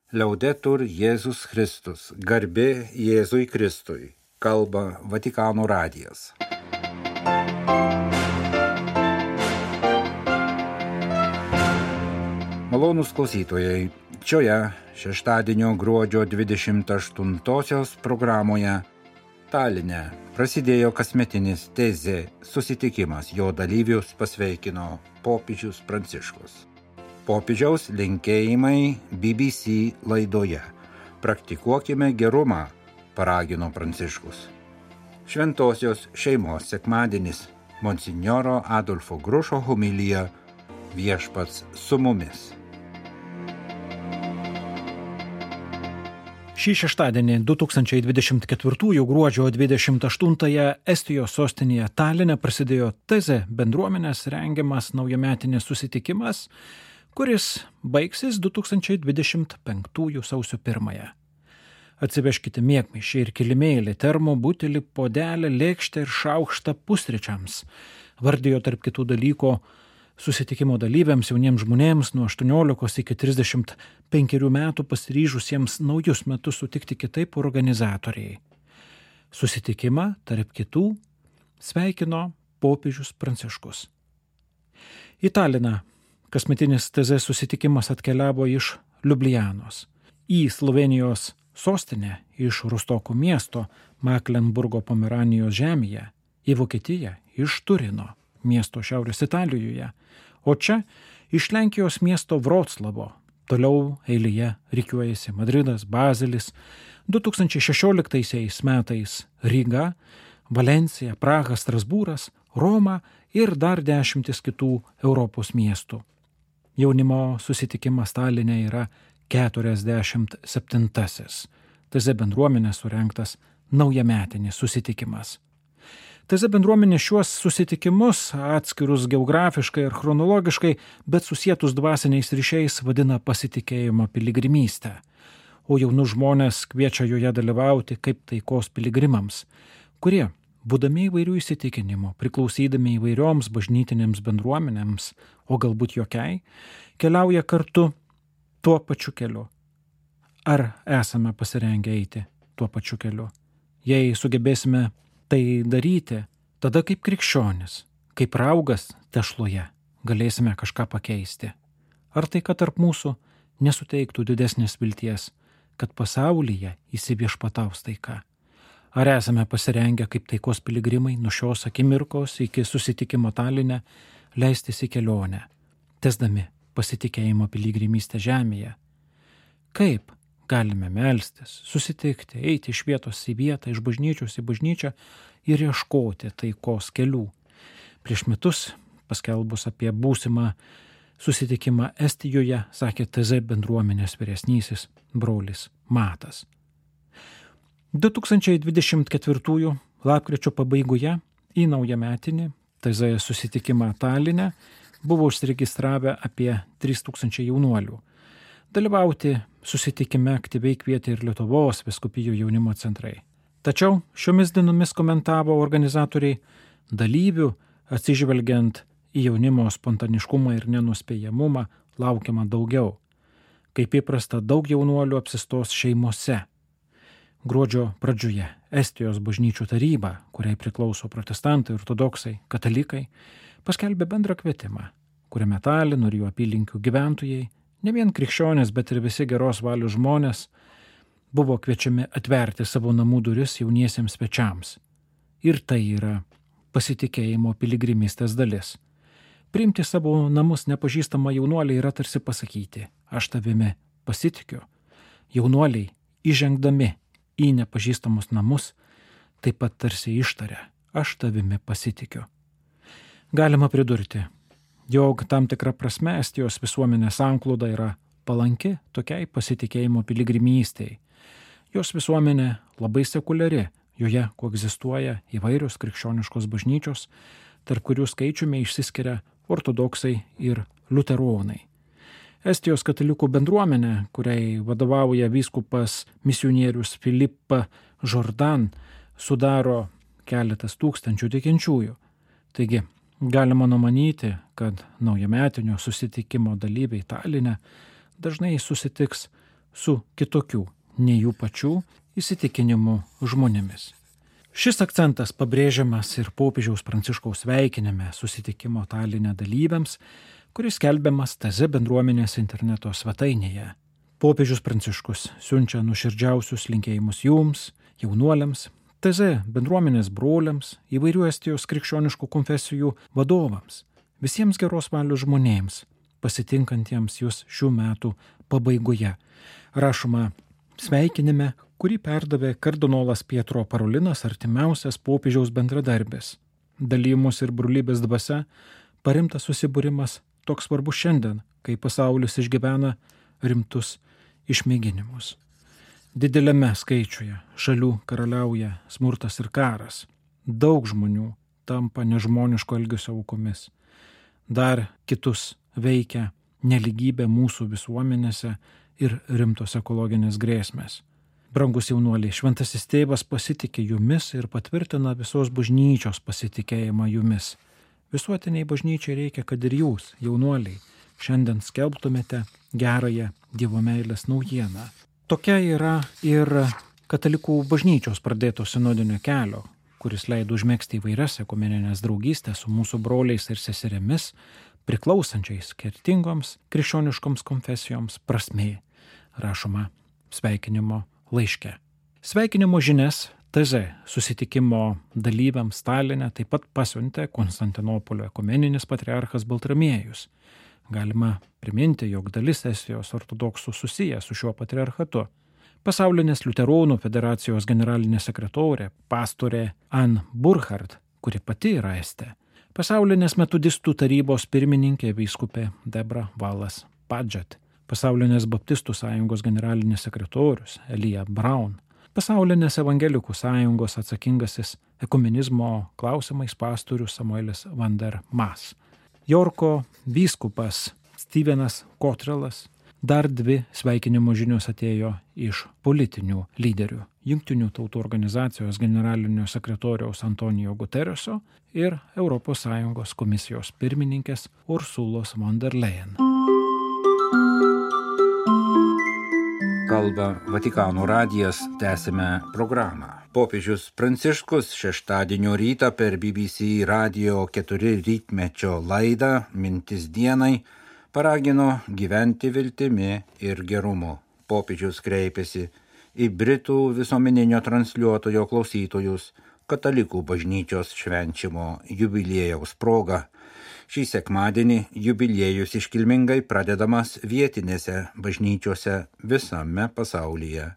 Liaudetur Jėzus Kristus, garbė Jėzui Kristui, kalba Vatikano radijas. Malonūs klausytojai, šioje šeštadienio gruodžio 28-osios programoje Taline prasidėjo kasmetinis tezė susitikimas, jo dalyvius pasveikino popiežius Pranciškus. Popiežiaus linkėjimai BBC laidoje. Praktikuokime gerumą, paragino Pranciškus. Šventosios šeimos sekmadienis, monsinjoro Adolfo Grušo homilija, Viešpats su mumis. Šį šeštadienį 2024 gruodžio 28-ąją Estijos sostinėje Taline prasidėjo tezė bendruomenės rengiamas naujametinis susitikimas, kuris baigsis 2025 sausio 1. Atsivežkite miegmaišį ir kilimėlį, termo butelį, puodelį, lėkštę ir šaukštą pusryčiams, vardijo tarp kitų dalykų susitikimo dalyviams, jauniems žmonėms nuo 18 iki 35 metų pasiryžusiems naujus metus sutikti kitaip organizatoriai. Susitikimą tarp kitų sveikino popiežius Pranciškus. Į Taliną kasmetinis tezės susitikimas atkeliavo iš Liublianos, į Slovenijos sostinę iš Rostoko miesto Maklenburgo Pomeranijos žemėje, į Vokietiją iš Turino miesto Šiaurės Italijoje, o čia iš Lenkijos miesto Vroclavo. Toliau eilėje rikiuojasi Madridas, Bazelis, 2016 metais Ryga, Valencija, Praha, Strasbūras, Roma ir dar 10 kitų Europos miestų. Jaunimo susitikimas Taline yra 47-asis. Teze bendruomenės surengtas naujametinis susitikimas. Teze bendruomenė šiuos susitikimus, atskirus geografiškai ir chronologiškai, bet susietus dvasiniais ryšiais, vadina pasitikėjimo piligrimystę, o jaunus žmonės kviečia joje dalyvauti kaip taikos piligrimams, kurie, būdami įvairių įsitikinimų, priklausydami įvairioms bažnytinėms bendruomenėms, o galbūt jokiai, keliauja kartu tuo pačiu keliu. Ar esame pasirengę eiti tuo pačiu keliu? Jei sugebėsime tai daryti, tada kaip krikščionis, kaip raugas tešloje, galėsime kažką pakeisti. Ar tai, kad tarp mūsų nesuteiktų didesnės vilties, kad pasaulyje įsiviešpataus taika? Ar esame pasirengę kaip taikos piligrimai nuo šios akimirkos iki susitikimo Taline leistis į kelionę, tesdami pasitikėjimo piligrimystę žemėje? Kaip galime melstis, susitikti, eiti iš vietos į vietą, iš bažnyčios į bažnyčią ir ieškoti taikos kelių? Prieš metus, paskelbus apie būsimą susitikimą Estijoje, sakė TZ bendruomenės vyresnysis brolis Matas. 2024 lapkričio pabaigoje į naujametinį TZ susitikimą Taline buvo užsiregistravę apie 3000 jaunuolių. Dalyvauti susitikime aktyviai kvietė ir Lietuvos vyskupijų jaunimo centrai. Tačiau šiomis dienomis komentavo organizatoriai, dalyvių atsižvelgiant į jaunimo spontaniškumą ir nenuspėjamumą laukiama daugiau. Kaip įprasta, daug jaunuolių apsistos šeimose. Gruodžio pradžioje Estijos bažnyčių taryba, kuriai priklauso protestantai, ortodoksai, katalikai, paskelbė bendrą kvietimą, kuriame Talino ir jų apylinkių gyventojai, ne vien krikščionys, bet ir visi geros valios žmonės, buvo kviečiami atverti savo namų duris jauniesiems svečiams. Ir tai yra pasitikėjimo piligrimystės dalis. Priimti savo namus nepažįstamą jaunuolį yra tarsi pasakyti, aš tavimi pasitikiu. Jaunuoliai, įžengdami į nepažįstamus namus, taip pat tarsi ištaria, aš tavimi pasitikiu. Galima pridurti, jog tam tikra prasme Estijos visuomenės sankloda yra palanki tokiai pasitikėjimo piligrimystei. Jos visuomenė labai sekuliari, joje koegzistuoja įvairios krikščioniškos bažnyčios, tarp kurių skaičiumi išsiskiria ortodoksai ir liuteronai. Estijos katalikų bendruomenė, kuriai vadovauja vyskupas misionierius Filipa Jordan, sudaro keletas tūkstančių tikinčiųjų. Taigi, galima numanyti, kad naujametinio susitikimo dalyviai Taline dažnai susitiks su kitokių, nei jų pačių įsitikinimų žmonėmis. Šis akcentas pabrėžiamas ir popiežiaus Pranciškaus sveikinime susitikimo Taline dalyviams, kuris skelbiamas TZ bendruomenės interneto svetainėje. Popiežius Pranciškus siunčia nuoširdžiausius linkėjimus jums, jaunuoliams, TZ bendruomenės broliams, įvairių Estijos krikščioniškų konfesijų vadovams, visiems geros valios žmonėms, pasitinkantiems jūs šių metų pabaigoje. Rašoma sveikinime, kurį perdavė kardinolas Pietro Parolinas, artimiausias popiežiaus bendradarbis. Dalymus ir brolybės dvasia paremtas susibūrimas toks svarbus šiandien, kai pasaulis išgyvena rimtus išmėginimus. Dideliame skaičiuje šalių karaliauja smurtas ir karas. Daug žmonių tampa nežmoniško elgesio aukomis. Dar kitus veikia neligybė mūsų visuomenėse ir rimtos ekologinės grėsmės. Brangus jaunuoliai, šventasis tėvas pasitikė jumis ir patvirtina visos bažnyčios pasitikėjimą jumis. Visuotiniai bažnyčiai reikia, kad ir jūs, jaunuoliai, šiandien skelbtumėte gerąją Dievo meilės naujieną. Tokia yra ir katalikų bažnyčios pradėto sinodinio kelio, kuris leido užmegzti įvairias ekumeninės draugystės su mūsų broliais ir seserėmis, priklausančiais skirtingoms krikščioniškoms konfesijoms prasmė, rašoma sveikinimo laiške. Sveikinimo žinias TZ susitikimo dalyviams Taline taip pat pasiuntė Konstantinopolio ekumeninis patriarchas Baltramiejus. Galima priminti, jog dalis Estijos ortodoksų susiję su šiuo patriarchatu. Pasaulinės liuteronų federacijos generalinė sekretorė, pastorė Ann Burkhardt, kuri pati yra estė. Pasaulinės metodistų tarybos pirmininkė vyskupė Debra Valas Padžet. Pasaulinės baptistų sąjungos generalinis sekretorius Elija Braun, Pasaulinės evangelikų sąjungos atsakingasis ekumenizmo klausimais pastorius Samuelis van der Mas, Jorko vyskupas Stevenas Kotrelas. Dar 2 sveikinimo žinios atėjo iš politinių lyderių. Jungtinių tautų organizacijos generalinio sekretoriaus Antonijo Gutereso ir ES komisijos pirmininkės Ursulos von der Leyen. Kalba Vatikano radijas, tęsime programą. Popiežius Pranciškus šeštadienio rytą per BBC Radio 4 rytmečio laidą Mintis dienai paragino gyventi viltimi ir gerumu. Popiežius kreipėsi į Britų visuomeninio transliuotojo klausytojus katalikų bažnyčios švenčiamo jubiliejaus proga. Šį sekmadienį jubiliejus iškilmingai pradedamas vietinėse bažnyčiose visame pasaulyje.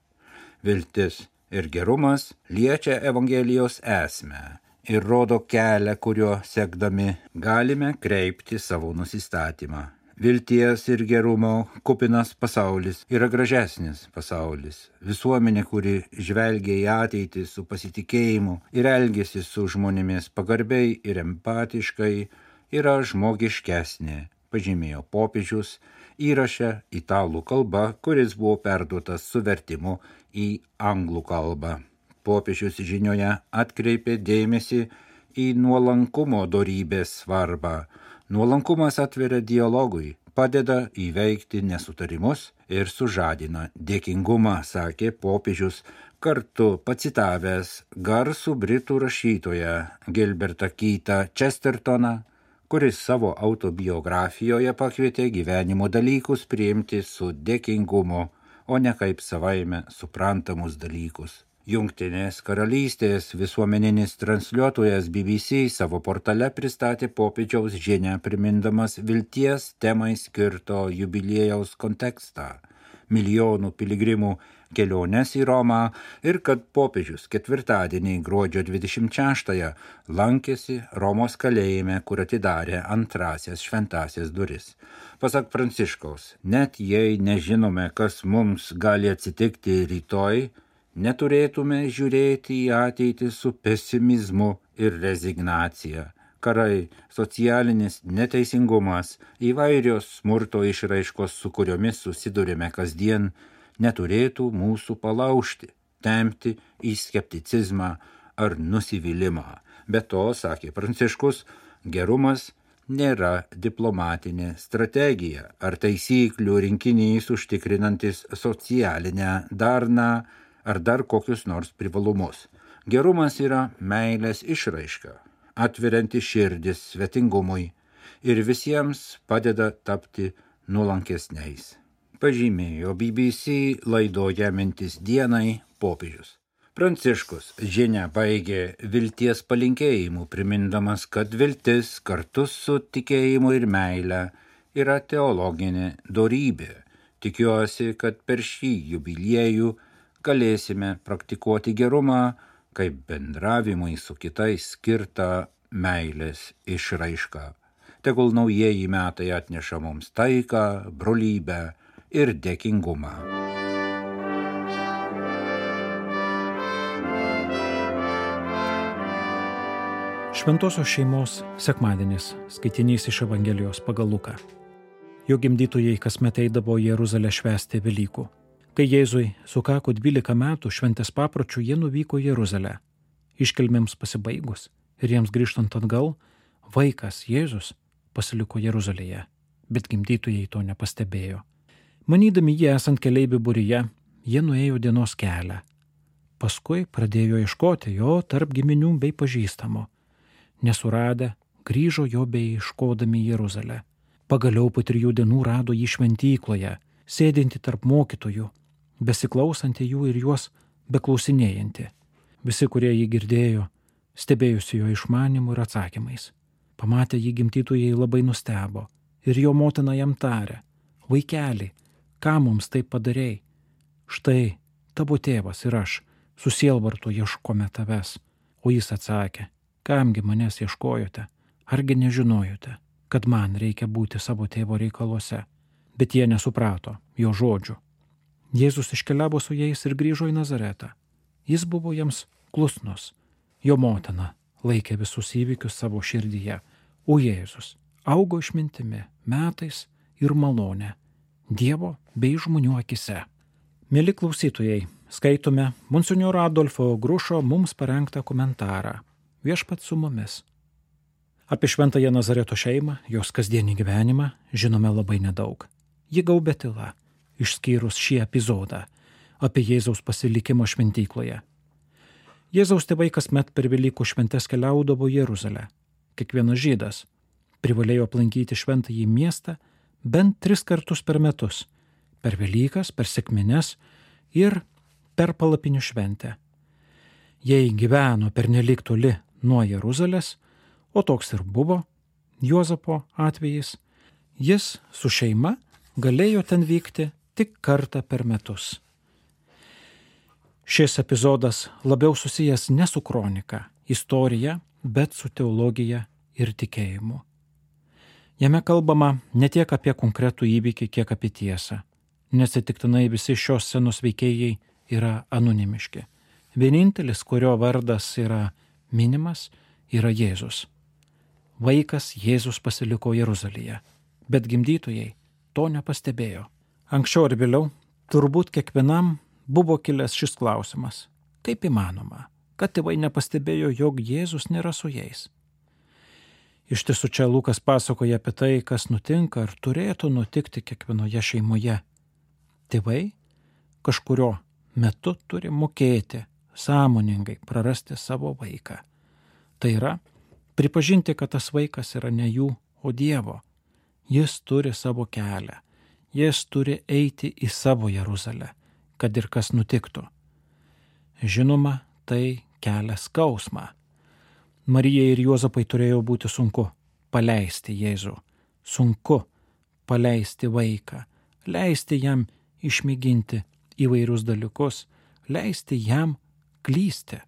Viltis ir gerumas liečia Evangelijos esmę ir rodo kelią, kuriuo sekdami galime kreipti savo nusistatymą. Vilties ir gerumo kupinas pasaulis yra gražesnis pasaulis. Visuomenė, kuri žvelgia į ateitį su pasitikėjimu ir elgiasi su žmonėmis pagarbiai ir empatiškai, yra žmogiškesnė, pažymėjo popiežius įraše italų kalba, kuris buvo perduotas su vertimu į anglų kalbą. Popiežius žinioje atkreipė dėmesį į nuolankumo dorybės svarbą. Nuolankumas atveria dialogui, padeda įveikti nesutarimus ir sužadina dėkingumą, sakė popiežius, kartu pacitavęs garsų britų rašytoją Gilbertą Keithą Chestertoną, kuris savo autobiografijoje pakvietė gyvenimo dalykus priimti su dėkingumu, o ne kaip savaime suprantamus dalykus. Jungtinės karalystės visuomeninis transliuotojas BBC savo portale pristatė popiežiaus žinią, primindamas vilties temai skirto jubiliejaus kontekstą, milijonų piligrimų keliones į Romą ir kad popiežius ketvirtadienį gruodžio 26-ąją lankėsi Romos kalėjime, kur atidarė antrasias šventasias duris. Pasak Pranciškaus, net jei nežinome, kas mums gali atsitikti rytoj, neturėtume žiūrėti į ateitį su pesimizmu ir rezignacija. Karai, socialinis neteisingumas, įvairios smurto išraiškos, su kuriomis susidurime kasdien, neturėtų mūsų palaužti, tempti į skepticizmą ar nusivylimą. Be to, sakė Pranciškus, gerumas nėra diplomatinė strategija ar taisyklių rinkinys užtikrinantis socialinę darną ar dar kokius nors privalumus. Gerumas yra meilės išraiška, atverianti širdis svetingumui ir visiems padeda tapti nuolankesniais. Pažymėjo BBC laidoje Mintis dienai popiežius. Pranciškus žinią baigė vilties palinkėjimu, primindamas, kad viltis kartu su tikėjimu ir meile yra teologinė dorybė. Tikiuosi, kad per šį jubiliejų galėsime praktikuoti gerumą kaip bendravimui su kitais skirtą meilės išraišką. Tegul naujieji metai atneša mums taiką, brolybę ir dėkingumą. Šventosios šeimos sekmadienis, skaitinys iš Evangelijos pagal Luką. Jo gimdytojai kasmet eidavo į Jeruzalę švęsti Velykų. Kai Jėzui sukako 12 metų šventės papročių, jie nuvyko į Jeruzalę. Iškilmėms pasibaigus ir jiems grįžtant atgal, vaikas Jėzus pasiliko Jeruzalėje, bet gimdytojai to nepastebėjo. Manydami jie esant keleivių būryje, jie nuėjo dienos kelią. Paskui pradėjo ieškoti jo tarp giminių bei pažįstamų. Nesuradę, grįžo jo bei ieškodami į Jeruzalę. Pagaliau po 3 dienų rado jį šventykloje, sėdinti tarp mokytojų, besiklausantį jų ir juos beklausinėjantį. Visi, kurie jį girdėjo, stebėjusi jo išmanimu ir atsakymais. Pamatę jį gimdytojai labai nustebo ir jo motina jam tarė: vaikeli, ką mums taip padarei? Štai tavo tėvas ir aš su sielvartu ieškome tavęs. O jis atsakė: kamgi manęs ieškojote? Argi nežinojote, kad man reikia būti savo tėvo reikaluose? Bet jie nesuprato jo žodžių. Jėzus iškeliavo su jais ir grįžo į Nazaretą. Jis buvo jiems klusnus. Jo motina laikė visus įvykius savo širdyje, o Jėzus augo išmintimi, metais ir malone, Dievo bei žmonių akise. Mieli klausytojai, skaitome monsinjoro Adolfo Grušo mums parengtą komentarą Viešpats su mumis. Apie šventąją Nazareto šeimą, jos kasdienį gyvenimą žinome labai nedaug. Ji gaubia tyla, išskyrus šį epizodą apie Jėzaus pasilikimą šventykloje. Jėzaus tėvai kasmet per Velykų šventes keliaudavo į Jeruzalę. Kiekvienas žydas privalėjo aplankyti šventąjį miestą bent 3 kartus per metus – per Velykas, per sekmines ir per palapinių šventę. Jei gyveno pernelyg toli nuo Jeruzalės, o toks ir buvo Juozapo atvejis, jis su šeima galėjo ten vykti tik kartą per metus. Šis epizodas labiau susijęs ne su kronika, istorija, bet su teologija ir tikėjimu. Jame kalbama ne tiek apie konkretų įvykį, kiek apie tiesą. Neatsitiktinai visi šios scenos veikėjai yra anonimiški. Vienintelis, kurio vardas yra minimas, yra Jėzus. Vaikas Jėzus pasiliko Jeruzalėje, bet gimdytojai to nepastebėjo. Anksčiau ar vėliau turbūt kiekvienam buvo kilęs šis klausimas: kaip įmanoma, kad tėvai nepastebėjo, jog Jėzus nėra su jais? Iš tiesų čia Lukas pasakoja apie tai, kas nutinka ar turėtų nutikti kiekvienoje šeimoje. Tėvai kažkurio metu turi mokėti sąmoningai prarasti savo vaiką. Tai yra, pripažinti, kad tas vaikas yra ne jų, o Dievo. Jis turi savo kelią. Jis turi eiti į savo Jeruzalę, kad ir kas nutiktų. Žinoma, tai kelia skausmą. Marijai ir Juozapai turėjo būti sunku paleisti Jėzų. Sunku paleisti vaiką, leisti jam išmėginti įvairius dalykus, leisti jam klysti.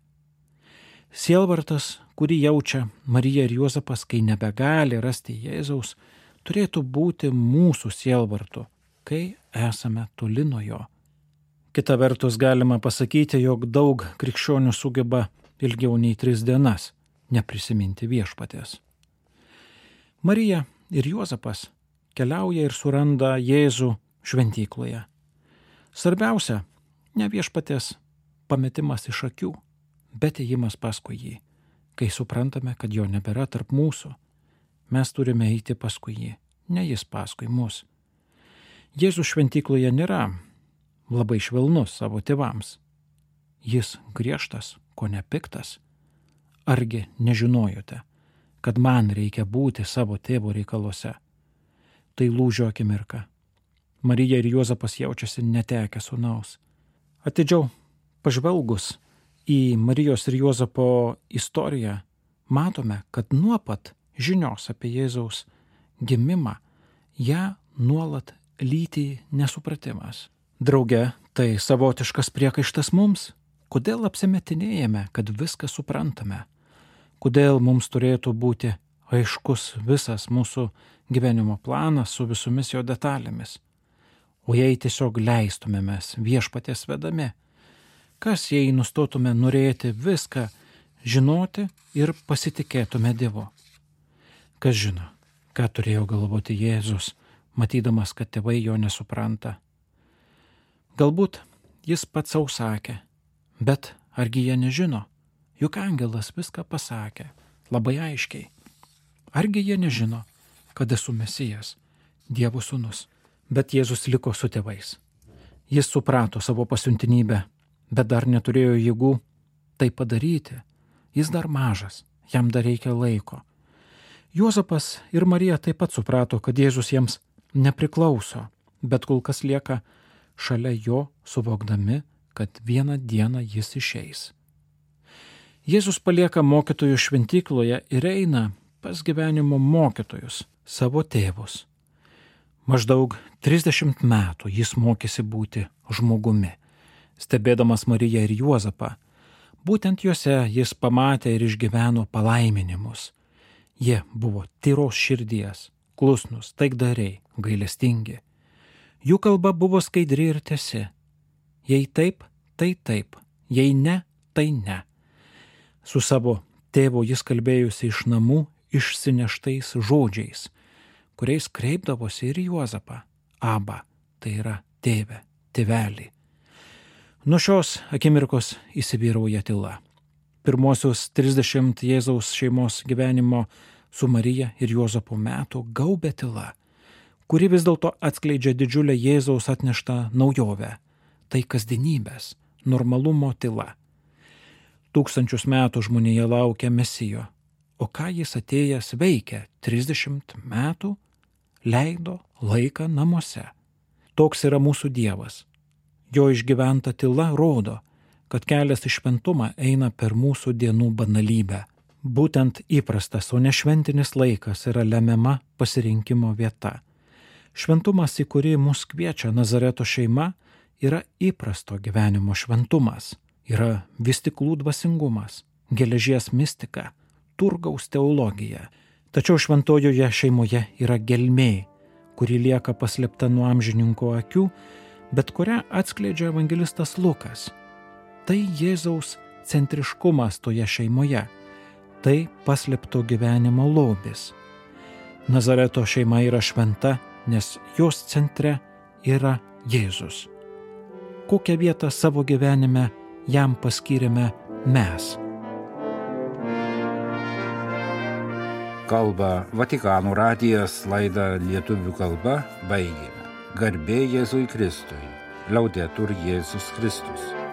Sielvartas, kurį jaučia Marija ir Juozapas, kai nebegali rasti Jėzaus, turėtų būti mūsų sielvartu, kai esame toli nuo jo. Kita vertus galima pasakyti, jog daug krikščionių sugeba ilgiau nei 3 dienas neprisiminti viešpaties. Marija ir Juozapas keliauja ir suranda Jėzų šventykloje. Svarbiausia, ne viešpaties pametimas iš akių, bet ėjimas paskui jį, kai suprantame, kad jo nebėra tarp mūsų. Mes turime eiti paskui jį, ne jis paskui mus. Jėzus šventykloje nėra labai švelnus savo tėvams. Jis griežtas, ko nepiktas. Argi nežinojote, kad man reikia būti savo tėvo reikaluose? Tai lūžio akimirka. Marija ir Juozapas jaučiasi netekę sūnaus. Atidžiau pažvelgus į Marijos ir Juozapo istoriją, matome, kad nuo pat žinios apie Jėzaus gimimą ją nuolat lydi nesupratimas. Drauge, tai savotiškas priekaištas mums. Kodėl apsimetinėjame, kad viską suprantame? Kodėl mums turėtų būti aiškus visas mūsų gyvenimo planas su visomis jo detalėmis? O jei tiesiog leistumėmės viešpaties vedami? Kas jei nustotume norėti viską žinoti ir pasitikėtume Dievu? Kas žino, ką turėjo galvoti Jėzus, matydamas, kad tėvai jo nesupranta? Galbūt jis pats sau sakė, bet argi jie nežino? Juk angelas viską pasakė, labai aiškiai. Argi jie nežino, kad esu Mesijas, Dievo sūnus? Bet Jėzus liko su tėvais. Jis suprato savo pasiuntinybę, bet dar neturėjo jėgų tai padaryti. Jis dar mažas, jam dar reikia laiko. Juozapas ir Marija taip pat suprato, kad Jėzus jiems nepriklauso, bet kol kas lieka šalia jo, suvokdami, kad vieną dieną jis išeis. Jėzus palieka mokytojų šventykloje ir eina pas gyvenimo mokytojus, savo tėvus. Maždaug 30 metų jis mokėsi būti žmogumi, stebėdamas Mariją ir Juozapą. Būtent juose jis pamatė ir išgyveno palaiminimus. Jie buvo tyros širdies, klusnus, taikdariai, gailestingi. Jų kalba buvo skaidri ir tiesi. Jei taip, tai taip, jei ne, tai ne. Su savo tėvu jis kalbėjusi iš namų išsineštais žodžiais, kuriais kreipdavosi ir Juozapą. Aba, tai yra tėve, tėvelį. Nuo šios akimirkos įsivyrauja tyla. Pirmosius 30 Jėzaus šeimos gyvenimo su Marija ir Juozapu metų gaubė tyla, kuri vis dėlto atskleidžia didžiulę Jėzaus atneštą naujovę. Tai kasdienybės, normalumo tyla. 1000 metų žmonija laukia Mesijo, o ką jis atėjęs veikia 30 metų, leido laiką namuose. Toks yra mūsų Dievas. Jo išgyventa tyla rodo, kad kelias į šventumą eina per mūsų dienų banalybę. Būtent įprastas, o ne šventinis laikas yra lemiama pasirinkimo vieta. Šventumas, į kurį mus kviečia Nazareto šeima, yra įprasto gyvenimo šventumas. Yra vystiklų dvasingumas, geležies mistika, turgaus teologija. Tačiau šventojoje šeimoje yra gelmė, kuri lieka paslėpta nuo amžininko akių, bet kurią atskleidžia evangelistas Lukas. Tai Jėzaus centriškumas toje šeimoje. Tai paslėpto gyvenimo lobis. Nazareto šeima yra šventa, nes jos centre yra Jėzus. Kokią vietą savo gyvenime jam paskyrėme mes? Kalba Vatikano radijas, laidą lietuvių kalba baigėme. Garbė Jėzui Kristui. Liaudetur Jėzus Kristus.